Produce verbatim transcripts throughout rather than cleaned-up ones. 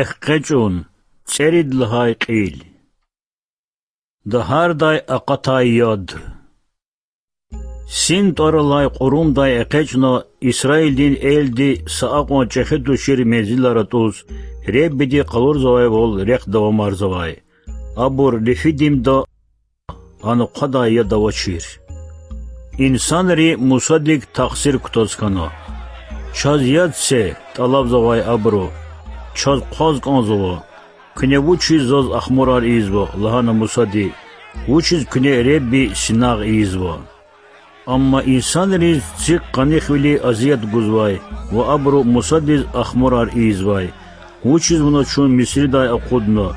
ЭкъечӀун— цӀерид лагьай кьил. Дагьардай акъатай яд. Син тӀвар алай кьурумдай экъечӀна Исраилдин элди са акьван чӀехи тушир мензилар атӀуз, Реббиди къалурзавайвал рехъ давамарзавай. Абур Рефидимда, ана хъвадай яд авачир. Инсанри Мусадик тахсир кутаз хьана. Чаз яд це,— тӀалабзавай абуру,— чаз хъваз кӀанзава. Куьне вучиз заз ахмурар ийизва? лагьана Мусади. Вучиз куьне Ребби синагъ ийизва? Амма инсанриз цихъ къаних вили азият гузвай ва абуру Мусадиз ахмурар ийизвай: Вучиз вуна чун Мисридай акъудна?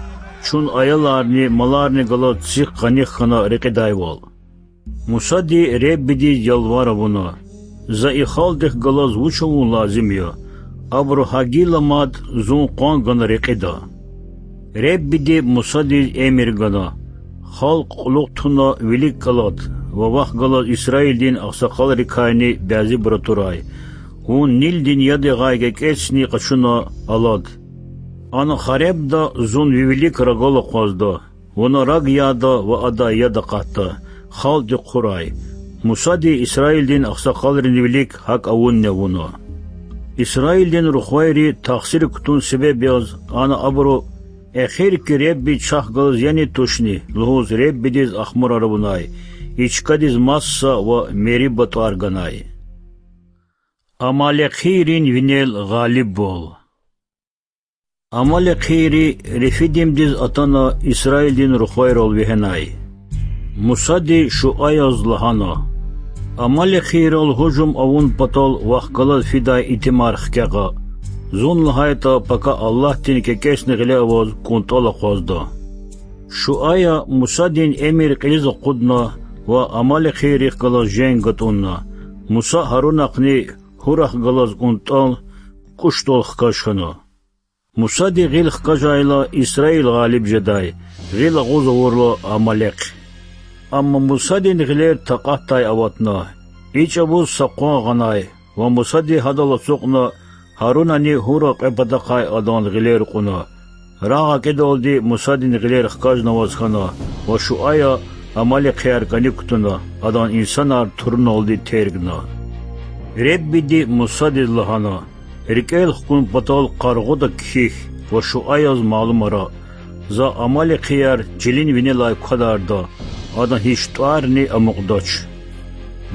Чун аяларни, маларни галаз цихъ къаних хьана рекьидайвал. Мусади Реббидиз ялвар авуна: За и халкьдихъ галаз вуч авун лазим я? Абуру гьа гила мад зун къван гана рекьида. Реббиди Мусадиз эмир гана: Халкь кьулухъ туна вилик кӀалад ва вахъ галаз Исраилдин агъсакъалрикайни бязибур атурай. Вун Нилдин яд ягъай кӀекӀецни къачуна алад. Ана Харебда зун ви вилик рагал акъвазда. Вуна раг яда ва адай яд акъатда, халкьди хъурай. Мусади Исраилдин агъсакъалрин вилик гьакӀ авунни авуна. Исраилдин рухвайри тахсир кутун себеб яз ана абуру: Эхирки Ребби чахъ галаз яни тушни? лугьуз, Реббидиз ахмурар авунай, и чкадиз Масса ва Мериба тӀвар ганай. Амалекийрин винел гъалибвал. Амалекийри Рефидимдиз атана Исраилдин рухвайрал вегьенай. Мусади Шуаяз лагьана: Амалекийрал гьужум авун патал вахъ галаз фидай итимар хкягъа. Зун, лагьайтӀа, пака Аллагьдин кӀекӀецни гъиле аваз кӀунтӀал акъвазда. Шуая Мусадин эмир кьилиз акъудна ва амалекийрихъ галаз женг гатӀунна. Муса Гьарунахъни Гьурахъ галаз кӀунтӀал кӀушдал хкаж хьана. Мусади гъил хкажайла, Исраил гъалиб жедай, гъил агъуз авурла— амалекь. Амма Мусадин гъилер такьатдай аватна. И чӀавуз са къван гъанай ва Мусади гьадал ацукьна, Гьарунани Гьура кьве патахъай адан гъилер кьуна. Рагъ акӀидалди Мусадин гъилер хкажнаваз хьана ва Шуая амалекияр кӀаник кутуна, адан инсанар туруналди тергна. Реббиди Мусадиз лагьана: РикӀел хкун патал къаргъуда кхьихь ва Шуаяз малумара: За амалекияр чилин винелай квадарда, адан гьич тӀварни амукьдач.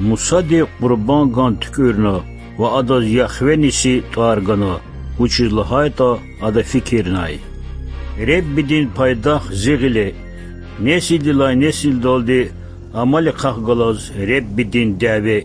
Мусади Къурбанган туькӀуьрна ва адаз Яхве-Ниси тӀвар гана, вучиз лагьайтӀа ада фикирнай: Реббидин пайдах зи гъиле, несилдилай несилдалди Амалекахъ галаз Реббидин дяве.